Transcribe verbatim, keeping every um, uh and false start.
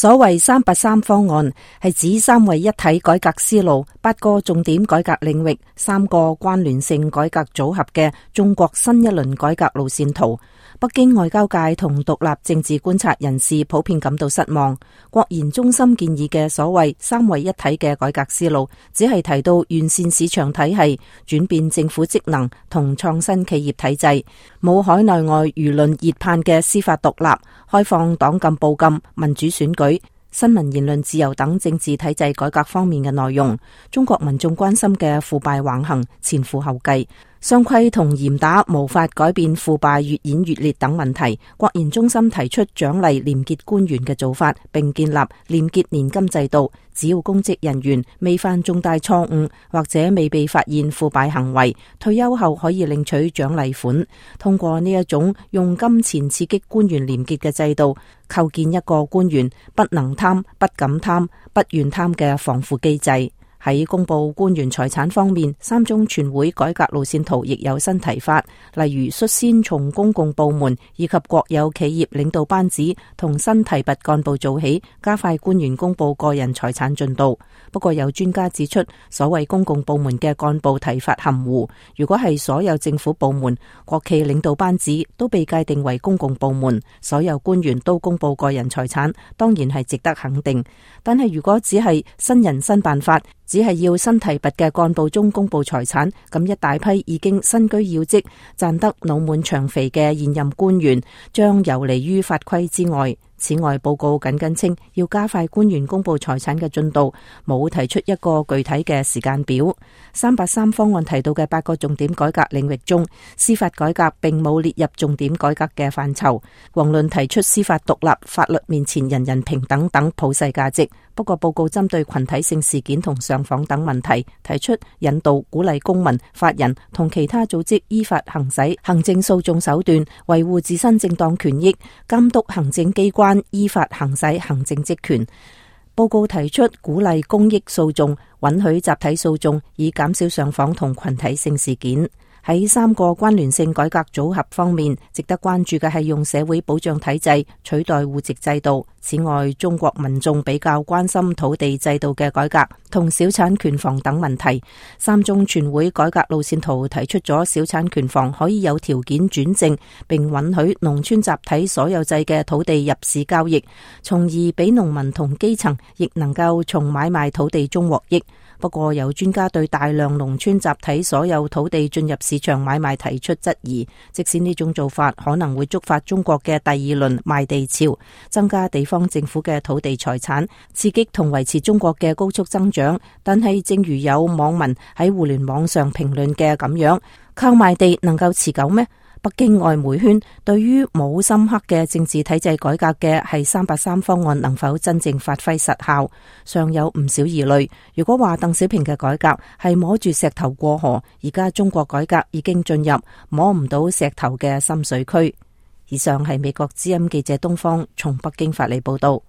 所謂三八三方案係指三位一體改革思路、八個重點改革領域、三個關聯性改革組合嘅中國新一輪改革路線圖。北京外交界同獨立政治觀察人士普遍感到失望。國研中心建議嘅所謂三位一體嘅改革思路，只係提到完善市場體系、轉變政府職能同創新企業體制，冇海內外輿論熱盼嘅司法獨立、開放黨禁報禁、民主選舉、新聞言論自由等政治體制改革方面嘅內容。中國民眾關心嘅腐敗橫行，前赴後繼。雙規同嚴打無法改變腐敗越演越烈等問題，國研中心提出獎勵廉潔官員嘅做法，並建立廉潔年金制度。只要公職人員未犯重大錯誤或者未被發現腐敗行為，退休後可以領取獎勵款。通過呢一種用金錢刺激官員廉潔嘅制度，構建一個官員不能貪、不敢貪、不願貪嘅防腐機制。喺公布官員財產方面，三中全會改革路線圖亦有新提法，例如率先從公共部門以及國有企業領導班子同新提拔幹部做起，加快官員公布個人財產進度。不過有專家指出，所謂公共部門嘅幹部提法含糊，如果係所有政府部門、國企領導班子都被界定為公共部門，所有官員都公布個人財產，當然係值得肯定。但係如果只係新人新辦法，只係要新提拔嘅幹部中公布財產，咁一大批已經身居要職、賺得腦滿腸肥嘅現任官員將游離於法規之外。此外，報告緊跟稱要加快官員公布財產嘅進度，冇提出一個具體嘅時間表。三八三方案提到嘅八個重點改革領域中，司法改革並冇列入重點改革嘅範疇。遑論提出司法獨立、法律面前人人平等等普世價值。不過報告針對群體性事件同上訪等問題，提出引導鼓勵公民、法人同其他組織依法行使行政訴訟手段，維護自身正當權益，監督行政機關依法行使行政職權。報告提出鼓勵公益訴訟，允許集體訴訟，以減少上訪同群體性事件。喺三個關聯性改革組合方面，值得關注嘅係用社會保障體制取代戶籍制度。此外，中國民眾比較關心土地制度嘅改革同小產權房等問題。三中全會改革路線圖提出咗小產權房可以有條件轉正，並允許農村集體所有制嘅土地入市交易，從而俾農民同基層亦能夠從買賣土地中獲益。不過有專家對大量農村集體所有土地進入市場買賣提出質疑，即使呢種做法可能會觸發中國嘅第二輪賣地潮，增加地方政府嘅土地財產，刺激同維持中國嘅高速增長。但係正如有網民喺互聯網上評論嘅咁樣，靠賣地能夠持久咩？北京外媒圈對於冇深刻嘅政治體制改革嘅係三八三方案能否真正發揮實效，尚有唔少疑慮。如果話鄧小平嘅改革係摸住石頭過河，而家中國改革已經進入摸唔到石頭嘅深水區。以上係美國之音記者東方從北京發嚟報道。